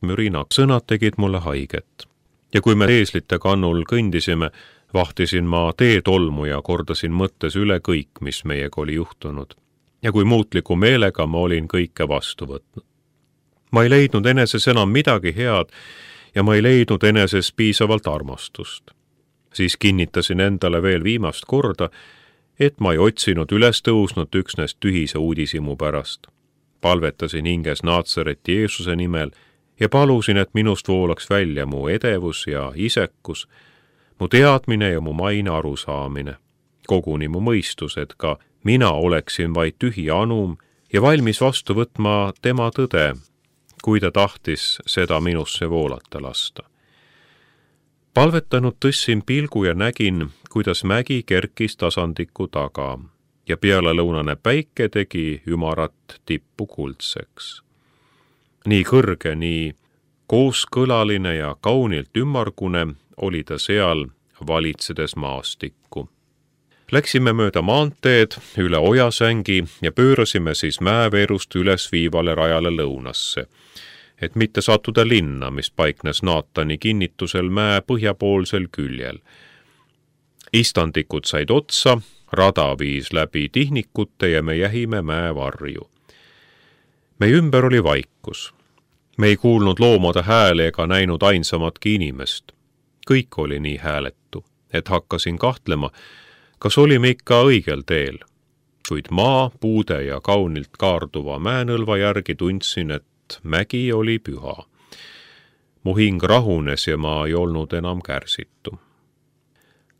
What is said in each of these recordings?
mürina sõnad tegid mulle haiget. Ja kui me eeslite kannul kõndisime, vahtisin ma teetolmu ja kordasin mõttes üle kõik, mis meiega oli juhtunud. Ja kui muutliku meelega ma olin kõike vastu võtnud. Ma ei leidnud eneses enam midagi head ja ma ei leidnud eneses piisavalt armastust. Siis kinnitasin endale veel viimast korda, et ma ei otsinud üles tõusnud üksnes tühise uudisimu pärast. Palvetasin hinges Naatsareti Jeesuse nimel ja palusin, et minust voolaks välja mu edevus ja isekus, mu teadmine ja mu maine arusaamine, koguni mu mõistus, et ka mina oleksin vaid tühi anum ja valmis vastu võtma tema tõde, kui ta tahtis seda minusse voolata lasta. Palvetanud tõstsin pilgu ja nägin, kuidas mägi kerkis tasandiku taga ja pealelõunane päike tegi ümarat tippu kuldseks. Nii kõrge, nii kooskõlaline ja kaunilt ümmargune oli ta seal, valitsedes maastikku. Läksime mööda maanteed üle ojasängi ja pöörasime siis mäeveerust üles viivale rajale lõunasse, et mitte sattuda linna, mis paiknes Naatani kinnitusel mäe põhjapoolsel küljel. Istandikud said otsa, rada viis läbi tihnikute ja me jähime mäevarju. Meie ümber oli vaikus. Me ei kuulnud loomade hääle ega näinud ainsamatki inimest. Kõik oli nii hääletu, et hakkasin kahtlema, kas olime ikka õigel teel. Kuid maa, puude ja kaunilt kaarduva mäenõlva järgi tundsin, et mägi oli püha. Mu hing rahunes ja ma ei olnud enam kärsitu.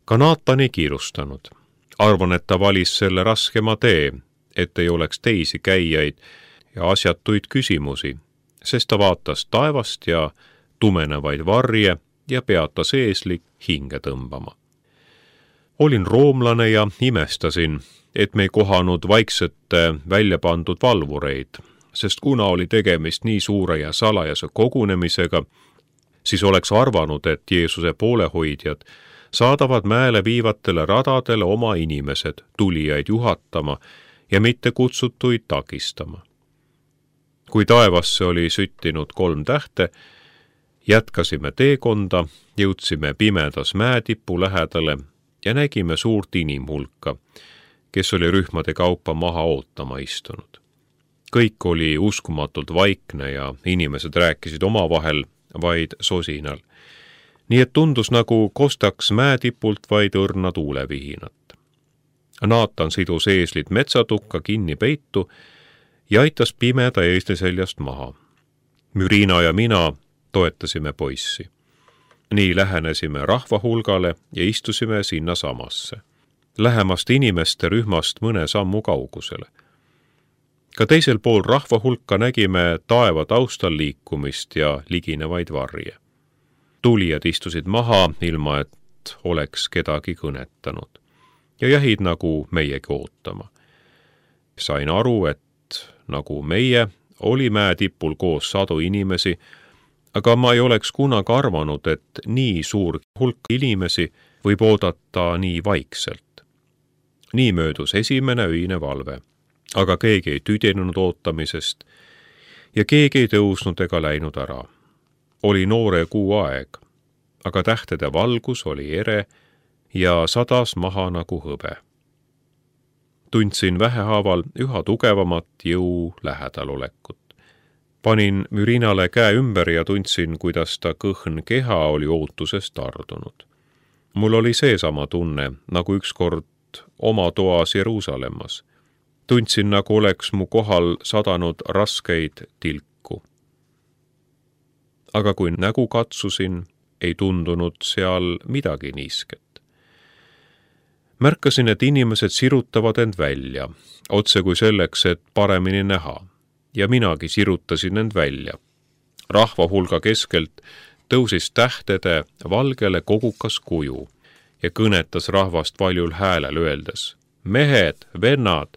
Ka Naatan ei kiirustanud. Arvan, et ta valis selle raskema tee, et ei oleks teisi käijaid ja asjatuid küsimusi, sest ta vaatas taevast ja tumenevaid varje ja peatas eesli hinge tõmbama. Olin roomlane ja imestasin, et me ei kohanud vaiksete välja pandud valvureid, sest kuna oli tegemist nii suure ja salajase kogunemisega, siis oleks arvanud, et Jeesuse poolehoidjad saadavad mäele viivatele radadele oma inimesed tulijaid juhatama ja mitte kutsutuid takistama. Kui taevasse oli süttinud 3 tähte, jätkasime teekonda, jõudsime pimedas mäetipu lähedale ja nägime suurt inimhulka, kes oli rühmade kaupa maha ootama istunud. Kõik oli uskumatult vaikne ja inimesed rääkisid omavahel vaid sosinal. Nii et tundus nagu kostaks mäetipult vaid õrna tuulevihinat. Naatan sidus eeslid metsatukka kinni peitu ja aitas pimeda eesli seljast maha. Mürina ja mina toetasime poissi. Nii lähenesime rahvahulgale ja istusime sinna samasse. Lähemast inimeste rühmast mõne sammu kaugusele. Ka teisel pool rahvahulka nägime taeva taustal liikumist ja liginevaid varje. Tulijad istusid maha, ilma et oleks kedagi kõnetanud. Ja jähid nagu meiegi ootama. Sain aru, et nagu meie oli mäetipul koos sadu inimesi, aga ma ei oleks kunagi arvanud, et nii suur hulk inimesi võib oodata nii vaikselt. Nii möödus esimene öine valve, aga keegi ei tüdinud ootamisest ja keegi ei tõusnud ega läinud ära. Oli noore kuu aeg, aga tähtede valgus oli ere ja sadas maha nagu hõbe. Tundsin vähehaaval üha tugevamat jõu lähedalolekut. Panin Mürinale käe ümber ja tundsin, kuidas ta kõhn keha oli ootusest tardunud. Mul oli seesama tunne, nagu ükskord oma toas Jeruusalemmas. Tundsin, nagu oleks mu kohal sadanud raskeid tilku. Aga kui nägu katsusin, ei tundunud seal midagi niisket. Märkasin, et inimesed sirutavad end välja, otse kui selleks, et paremini näha, ja minagi sirutasin end välja. Rahvahulga keskelt tõusis tähtede valgele kogukas kuju ja kõnetas rahvast valjul häälel öeldes: mehed, vennad!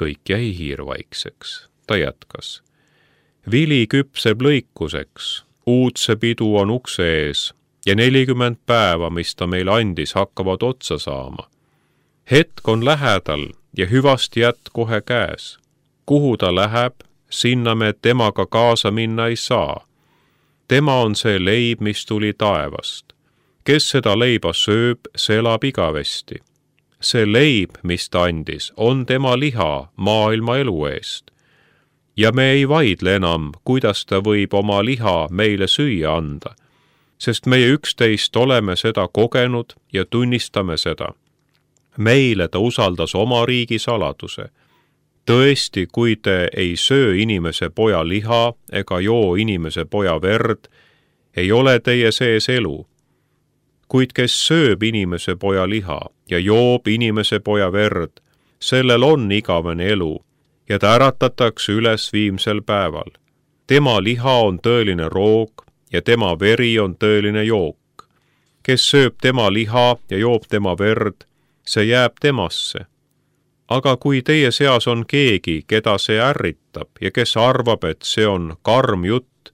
Kõik jäi hiirvaikseks. Ta jätkas: vili küpseb lõikuseks, uudse pidu on ukse ees ja 40 päeva, mis ta meile andis, hakkavad otsa saama. Hetk on lähedal ja hüvasti jätt kohe käes. Kuhu ta läheb, sinna me temaga kaasa minna ei saa. tema on see leib, mis tuli taevast. Kes seda leiba sööb, see elab igavesti. See leib, mis ta andis, on tema liha maailma elu eest. Ja me ei vaidle enam, kuidas ta võib oma liha meile süüa anda, sest meie üksteist oleme seda kogenud ja tunnistame seda. Meile ta usaldas oma riigi saladuse. Tõesti, kui te ei söö inimese poja liha ega joo inimese poja verd, ei ole teie sees elu. Kuid kes sööb inimese poja liha ja joob inimese poja verd, sellel on igavene elu ja ta äratatakse üles viimsel päeval. Tema liha on tõeline roog ja tema veri on tõeline jook. Kes sööb tema liha ja joob tema verd, see jääb temasse. Aga kui teie seas on keegi, keda see ärritab ja kes arvab, et see on karm jutt,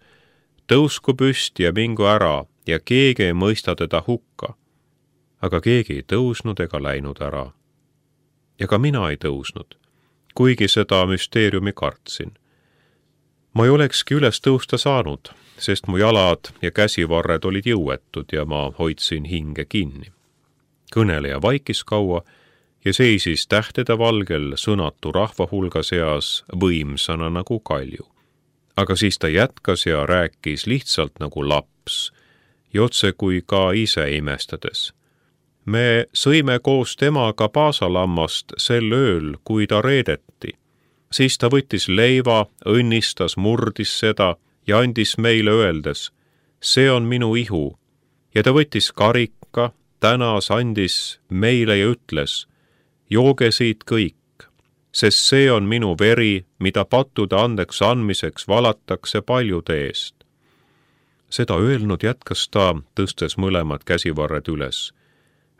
tõusku püsti ja mingu ära ja keegi ei mõista teda hukka. Aga keegi ei tõusnud ega läinud ära. Ja ka mina ei tõusnud, kuigi seda müsteeriumi kartsin. Ma ei olekski üles tõusta saanud, sest mu jalad ja käsivarred olid jõuetud ja ma hoidsin hinge kinni. Kõneleja vaikis kaua ja seisis tähtede valgel sõnatu rahva hulga seas võimsana nagu kalju. Aga siis ta jätkas ja rääkis lihtsalt nagu laps, ja otse kui ka ise imestades. Me sõime koos temaga paasalammast sel ööl, kui ta reedeti. Siis ta võttis leiva, õnnistas, murdis seda ja andis meile öeldes, see on minu ihu. Ja ta võttis karika, tänas, andis meile ja ütles, jooge siit kõik, sest see on minu veri, mida pattude andeks andmiseks valatakse paljude eest. Seda öelnud jätkas ta, tõstes mõlemad käsivarred üles.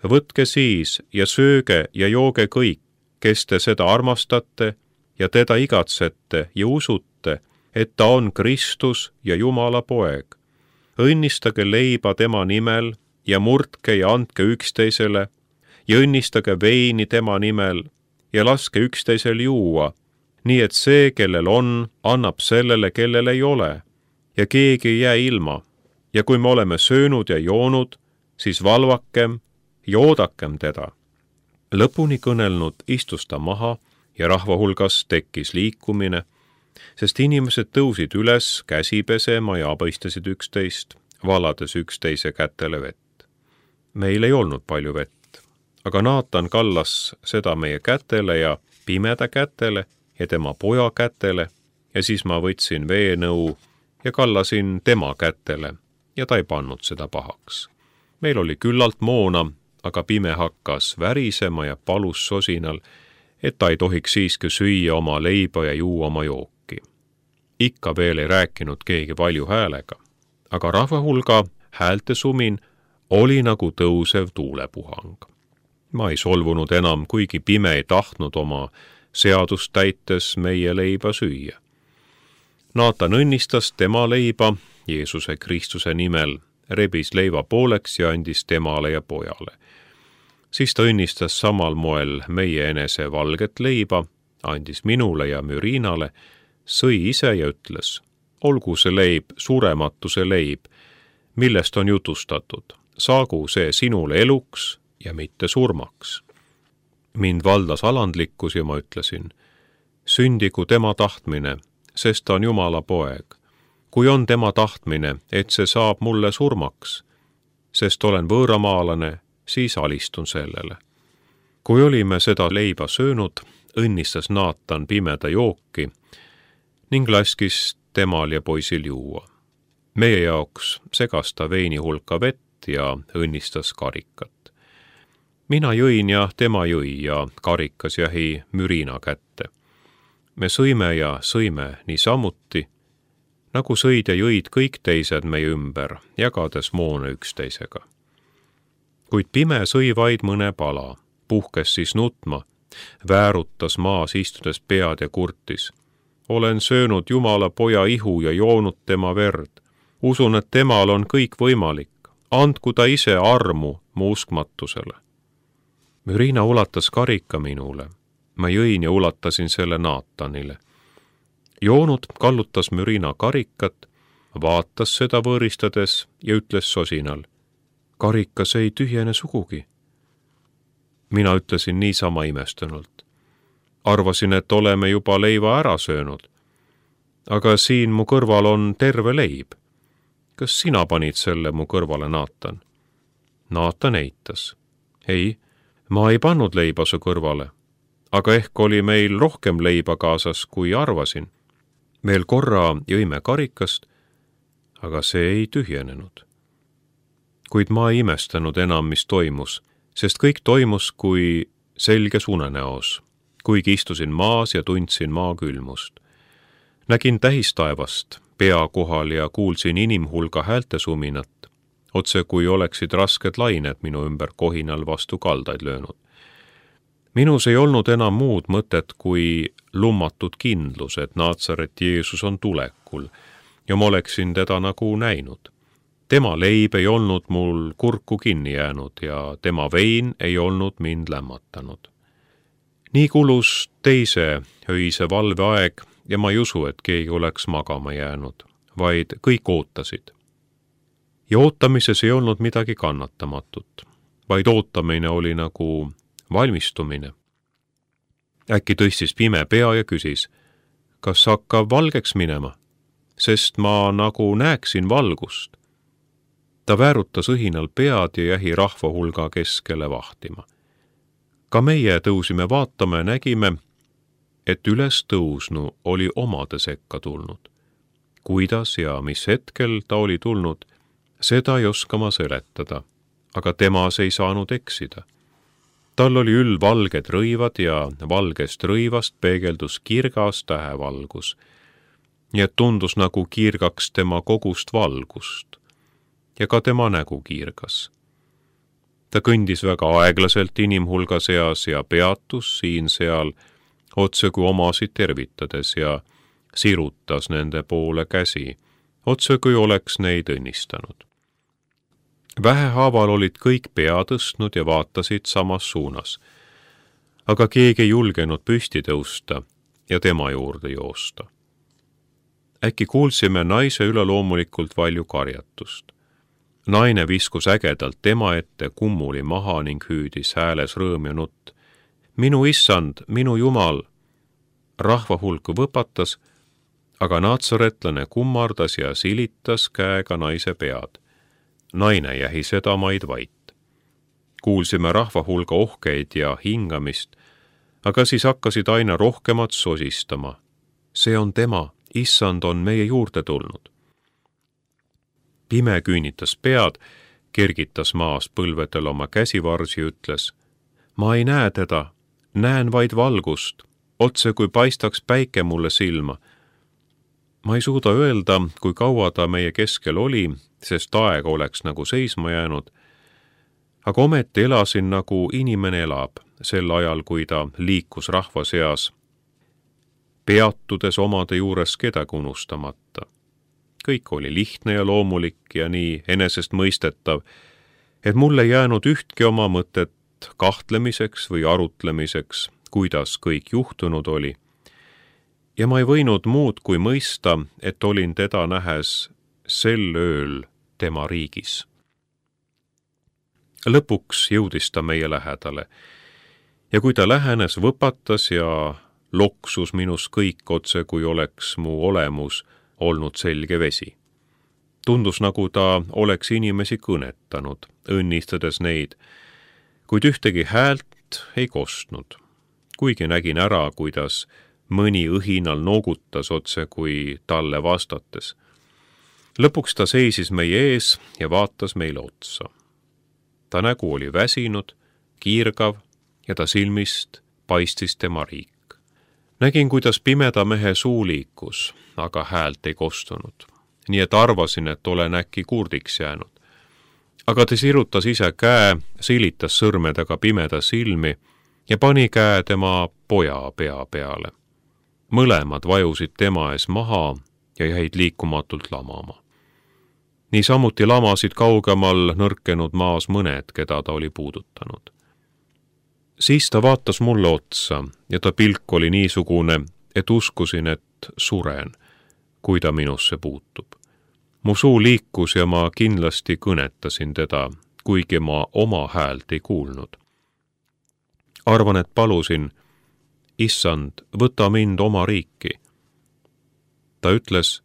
Võtke siis ja sööge ja jooge kõik, kes te seda armastate ja teda igatsete ja usute, et ta on Kristus ja Jumala poeg. Õnnistage leiba tema nimel ja murdke ja andke üksteisele ja õnnistage veini tema nimel ja laske üksteisel juua, nii et see, kellel on, annab sellele, kellel ei ole, ja keegi ei jää ilma. Ja kui me oleme söönud ja joonud, siis valvakem ja oodakem teda. Lõpuni kõnelnud istus ta maha ja rahva hulgas tekkis liikumine, sest inimesed tõusid üles käsi pesema ja abõistasid üksteist, valades üksteise kätele vett. Meil ei olnud palju vett, aga Naatan kallas seda meie kätele ja pimeda kätele ja tema poja kätele ja siis ma võtsin veenõu ja kallasin tema kätele ja ta ei pannud seda pahaks. Meil oli küllalt moona, aga pime hakkas värisema ja palus sosinal, et ta ei tohiks siiski süüa oma leiba ja juua oma jooki. Ikka veel ei rääkinud keegi valju häälega, aga rahva hulga häälte sumin oli nagu tõusev tuulepuhang. Ma ei solvunud enam, kuigi pime ei tahtnud oma seadust täites meie leiba süüa. Naatan õnnistas tema leiba Jeesuse Kristuse nimel, rebis leiva pooleks ja andis temale ja pojale. Siis ta õnnistas samal moel meie enese valget leiba, andis minule ja Mürinale, sõi ise ja ütles, olgu see leib surematuse leib, millest on jutustatud, saagu see sinule eluks ja mitte surmaks. Mind valdas alandlikkus ja ma ütlesin, sündigu tema tahtmine, sest ta on Jumala poeg. Kui on tema tahtmine, et see saab mulle surmaks, sest olen võõramaalane, siis alistun sellele. Kui olime seda leiba söönud, õnnistas Naatan pimeda jooki ning laskis temal ja poisil juua. Meie jaoks segas ta veini hulka vett ja õnnistas karikat. Mina jõin ja tema jõi ja karikas jäi Mürina kätte. Me sõime ja sõime niisamuti, nagu sõid ja jõid kõik teised meie ümber, jagades moona üksteisega. Kuid pime sõi vaid mõne pala, puhkes siis nutma, väärutas maas istudes pead ja kurtis. Olen söönud Jumala poja ihu ja joonud tema verd. Usun, et temal on kõik võimalik. Andku ta ise armu mu uskmatusele. Mürina ulatas karika minule. Ma jõin ja ulatasin selle Naatanile. Joonut kallutas Mürina karikat, vaatas seda võõristades ja ütles sosinal: "Karikas ei tühjene sugugi." Mina ütlesin niisama imestunult: "Arvasin, et oleme juba leiva ära söönud. Aga siin mu kõrval on terve leib. Kas sina panid selle mu kõrvale, Naatan?" Naatan eitas: "Ei, ma ei pannud leiba su kõrvale, aga ehk oli meil rohkem leiba kaasas, kui arvasin. Veel korra jõime karikast, aga see ei tühjenenud." Kuid ma ei imestanud enam, mis toimus, sest kõik toimus kui selges unenäos, kuigi istusin maas ja tundsin maa külmust. Nägin tähistaevast pea kohal ja kuulsin inimhulga häältesuminat, otse kui oleksid rasked lained minu ümber kohinal vastu kaldaid löönud. Minus ei olnud enam muud mõtet kui lummatud kindlus, et Naatsareti Jeesus on tulekul ja ma oleksin teda nagu näinud. Tema leib ei olnud mul kurku kinni jäänud ja tema vein ei olnud mind lämmatanud. Nii kulus teise öise valveaeg ja ma ei usu, et keegi oleks magama jäänud, vaid kõik ootasid. Ja ootamises ei olnud midagi kannatamatut, vaid ootamine oli nagu valmistumine. Äkki tõstis pime pea ja küsis: "Kas hakkab valgeks minema? Sest ma nagu näeksin valgust." Ta väärutas õhinal pead ja jäi rahva hulga keskele vahtima. Ka meie tõusime vaatama ja nägime, et üles tõusnu oli omade sekka tulnud. Kuidas ja mis hetkel ta oli tulnud, seda ei oska ma seletada, aga temas ei saanud eksida. Tal oli valged rõivad ja valgest rõivast peegeldus kirgas tähevalgus, nii et tundus nagu kiirgaks tema kogust valgust ja ka tema nägu kiirgas. Ta kõndis väga aeglaselt inimhulga seas ja peatus siin-seal, otse kui omasid tervitades ja sirutas nende poole käsi, otse kui oleks neid õnnistanud. Vähehaaval olid kõik pea tõstnud ja vaatasid samas suunas, aga keegi ei julgenud püsti tõusta ja tema juurde joosta. Äkki kuulsime naise üleloomulikult valju karjatust. Naine viskus ägedalt tema ette kummuli maha ning hüüdis hääles rõõm ja nutt: "Minu issand, minu Jumal!" Rahva hulk võpatas, aga naatsaretlane kummardas ja silitas käega naise pead. Naine jäi sedamaid vait. Kuulsime rahva hulga ohkeid ja hingamist, aga siis hakkasid aina rohkemat sosistama: "See on tema, issand on meie juurde tulnud." Pime küünitas pead, kergitas maas põlvedel oma käsivarsi ja ütles: "Ma ei näe teda, näen vaid valgust, otse kui paistaks päike mulle silma." Ma ei suuda öelda, kui kaua ta meie keskel oli, sest aeg oleks nagu seisma jäänud, aga ometi elasin nagu inimene elab sel ajal, kui ta liikus rahva seas, peatudes omade juures kedagi unustamata. Kõik oli lihtne ja loomulik ja nii enesestmõistetav, et mul ei jäänud ühtki oma mõtet kahtlemiseks või arutlemiseks, kuidas kõik juhtunud oli. Ja ma ei võinud muud kui mõista, et olin teda nähes sel ööl tema riigis. Lõpuks jõudis ta meie lähedale ja kui ta lähenes, võpatas ja loksus minus kõik otse, kui oleks mu olemus olnud selge vesi. Tundus, nagu ta oleks inimesi kõnetanud, õnnistades neid, kuid ühtegi häält ei kostnud, kuigi nägin ära, kuidas mõni õhinal noogutas otse kui talle vastates. Lõpuks ta seisis meie ees ja vaatas meile otsa. Ta nägu oli väsinud, kiirgav ja ta silmist paistis tema riik. Nägin, kuidas pimeda mehe suu liikus, aga häält ei kostunud, nii et arvasin, et olen äkki kurdiks jäänud. Aga ta sirutas ise käe, silitas sõrmedega pimeda silmi ja pani käe tema poja pea peale. Mõlemad vajusid tema ees maha ja jäid liikumatult lamama. Niisamuti lamasid kaugemal nõrkenud maas mõned, keda ta oli puudutanud. Siis ta vaatas mulle otsa ja ta pilk oli niisugune, et uskusin, et suren, kui ta minusse puutub. Mu suu liikus ja ma kindlasti kõnetasin teda, kuigi ma oma häält ei kuulnud. Arvan, et palusin, issand, võta mind oma riiki. Ta ütles,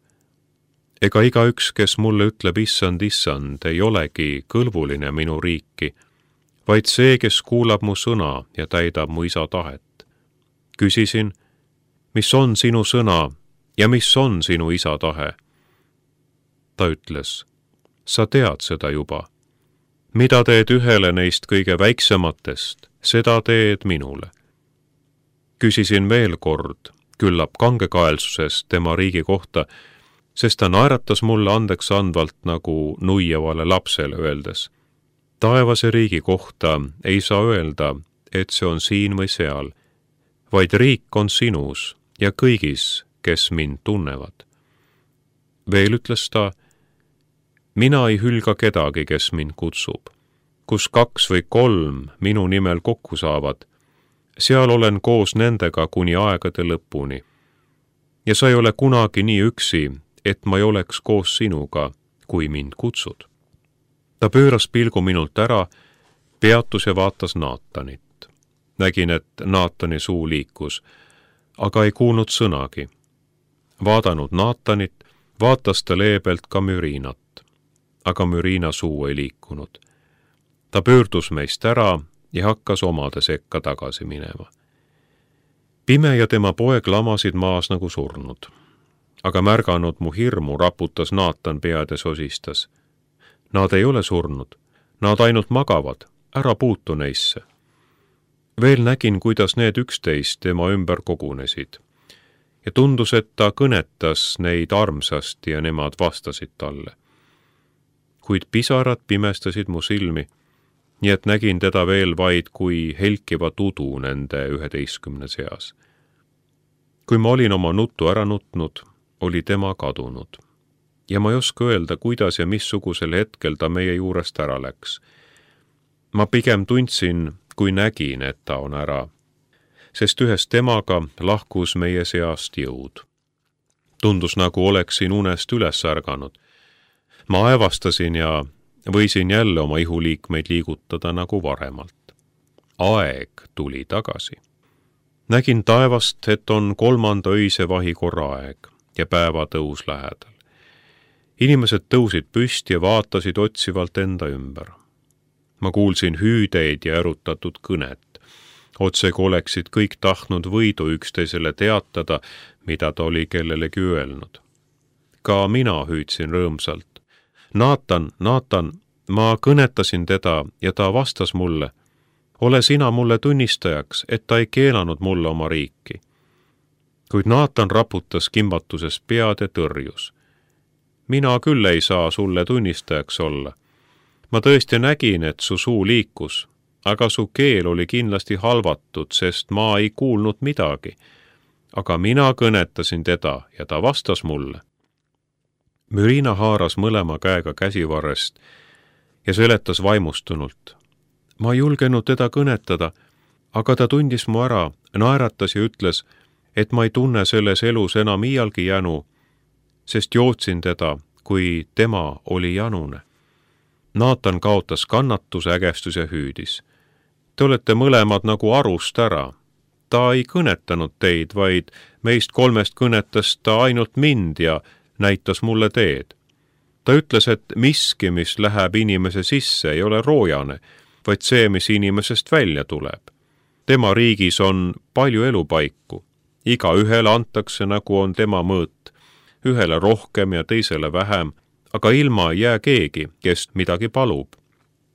ega igaüks, kes mulle ütleb issand, issand, ei olegi kõlbuline minu riiki, vaid see, kes kuulab mu sõna ja täidab mu isa tahet. Küsisin, mis on sinu sõna ja mis on sinu isa tahe? Ta ütles, sa tead seda juba. Mida teed ühele neist kõige väiksematest, seda teed minule. Küsisin veel kord, küllap kangekaelsusest tema riigi kohta, sest ta naeratas mulle andeks andvalt nagu nuiavale lapsele öeldes. Taevase riigi kohta ei saa öelda, et see on siin või seal, vaid riik on sinus ja kõigis, kes mind tunnevad. Veel ütles ta, mina ei hülga kedagi, kes mind kutsub. Kus 2 või 3 minu nimel kokku saavad, seal olen koos nendega kuni aegade lõpuni. Ja sa ei ole kunagi nii üksi, et ma ei oleks koos sinuga, kui mind kutsud. Ta pööras pilgu minult ära, peatus ja vaatas Naatanit. Nägin, et Naatani suu liikus, aga ei kuulnud sõnagi. Vaadanud Naatanit, vaatas ta leebelt ka Mürinat, aga Mürina suu ei liikunud. Ta pöördus meist ära ja hakkas omade sekka tagasi minema. Pime ja tema poeg lamasid maas nagu surnud, aga märganud mu hirmu, raputas Naatan pead ja sosistas. Nad ei ole surnud, nad ainult magavad, ära puutu neisse. Veel nägin, kuidas need 11 tema ümber kogunesid ja tundus, et ta kõnetas neid armsasti ja nemad vastasid talle. Kuid pisarad pimestasid mu silmi, nii et nägin teda veel vaid kui helkivat udu nende 11 seas. Kui ma olin oma nuttu ära nutnud, oli tema kadunud. Ja ma ei oska öelda, kuidas ja missugusel hetkel ta meie juurest ära läks. Ma pigem tundsin, kui nägin, et ta on ära, sest ühes temaga lahkus meie seast jõud. Tundus, nagu oleksin unest üles ärganud. Ma aevastasin ja võisin jälle oma ihuliikmeid liigutada nagu varemalt. Aeg tuli tagasi. Nägin taevast, et on 3. öise vahikorra aeg ja päevatõus lähedal. Inimesed tõusid püsti ja vaatasid otsivalt enda ümber. Ma kuulsin hüüdeid ja erutatud kõnet. Otsega oleksid kõik tahtnud võidu üksteisele teatada, mida ta oli kellelegi öelnud. Ka mina hüüdsin rõõmsalt. Naatan, Naatan, ma kõnetasin teda ja ta vastas mulle. Ole sina mulle tunnistajaks, et ta ei keelanud mulle oma riiki. Kuid Naatan raputas kimbatuses pead ja tõrjus. Mina küll ei saa sulle tunnistajaks olla. Ma tõesti nägin, et su suu liikus, aga su keel oli kindlasti halvatud, sest ma ei kuulnud midagi. Aga mina kõnetasin teda ja ta vastas mulle. Mürina haaras mõlema käega käsivarrest ja seletas vaimustunult. Ma ei julgenud teda kõnetada, aga ta tundis mu ära, naeratas ja ütles, et ma ei tunne selles elus enam iialgi jänu, sest jootsin teda, kui tema oli janune. Naatan kaotas kannatuse, ägestus ja hüüdis. Te olete mõlemad nagu arust ära. Ta ei kõnetanud teid, vaid meist 3 kõnetas ta ainult mind ja näitas mulle teed. Ta ütles, et miski, mis läheb inimese sisse, ei ole roojane, vaid see, mis inimesest välja tuleb. Tema riigis on palju elupaiku. Igaühele antakse, nagu on tema mõõt. Ühele rohkem ja teisele vähem, aga ilma ei jää keegi, kes midagi palub.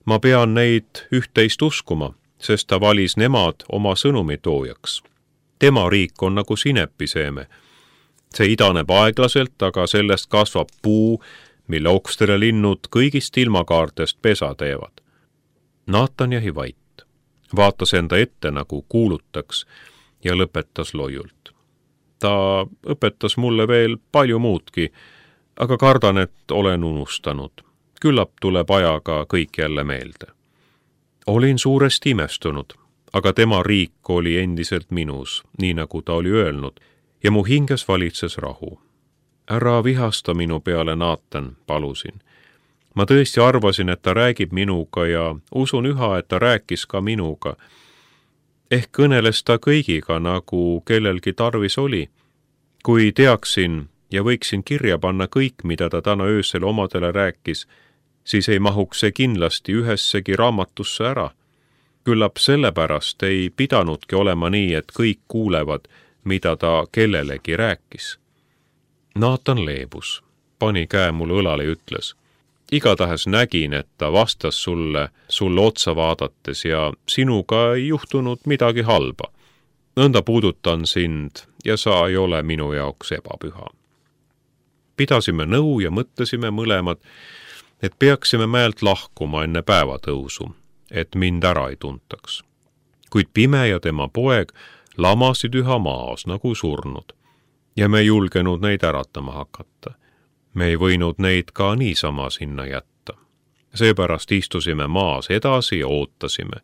Ma pean neid 11 uskuma, sest ta valis nemad oma sõnumi toojaks. Tema riik on nagu sinepiseeme. See idaneb aeglaselt, aga sellest kasvab puu, mille okstele linnud kõigist ilmakaartest pesa teevad. Naatan jäi vait, vaatas enda ette, nagu kuulutaks, ja lõpetas loiult. Ta õpetas mulle veel palju muudki, aga kardan, et olen unustanud. Küllap tuleb ajaga kõik jälle meelde. Olin suuresti imestunud, aga tema riik oli endiselt minus, nii nagu ta oli öelnud, ja mu hinges valitses rahu. Ära vihasta minu peale, Naatan, palusin. Ma tõesti arvasin, et ta räägib minuga ja usun üha, et ta rääkis ka minuga. Ehk kõneles ta kõigiga, nagu kellelgi tarvis oli. Kui teaksin ja võiksin kirja panna kõik, mida ta täna öösel omadele rääkis, siis ei mahuks see kindlasti ühessegi raamatusse ära. Küllap sellepärast ei pidanudki olema nii, et kõik kuulevad, mida ta kellelegi rääkis. Naatan leebus, pani käe mulle õlale ja ütles: igatahes nägin, et ta vastas sulle otsa vaadates ja sinuga ei juhtunud midagi halba. Nõnda puudutan sind ja sa ei ole minu jaoks ebapüha. Pidasime nõu ja mõtlesime mõlemad, et peaksime mäelt lahkuma enne päevatõusu, et mind ära ei tuntaks. Kuid Pime ja tema poeg lamasid üha maas nagu surnud ja me ei julgenud neid äratama hakata. Me ei võinud neid ka niisama sinna jätta. Seepärast istusime maas edasi ja ootasime.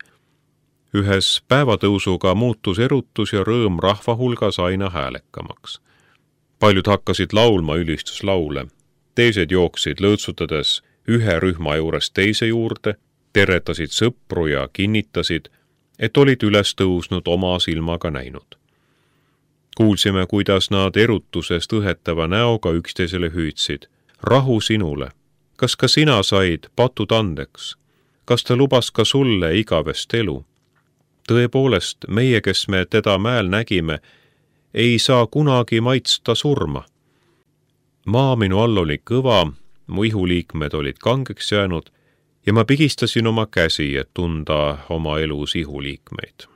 Ühes päevatõusuga muutus erutus ja rõõm rahva hulgas aina häälekamaks. Paljud hakkasid laulma ülistuslaule, teised jooksid lõõtsutades ühe rühma juurest teise juurde, teretasid sõpru ja kinnitasid, et olid üles tõusnud oma silmaga näinud. Kuulsime, kuidas nad erutusest õhetava näoga üksteisele hüüdsid: rahu sinule, kas ka sina said patud andeks? Kas ta lubas ka sulle igavest elu? Tõepoolest, meie, kes me teda mäel nägime, ei saa kunagi maitsta surma. Maa minu all oli kõva, mu ihuliikmed olid kangeks jäänud ja ma pigistasin oma käsi, et tunda oma elus ihuliikmeid.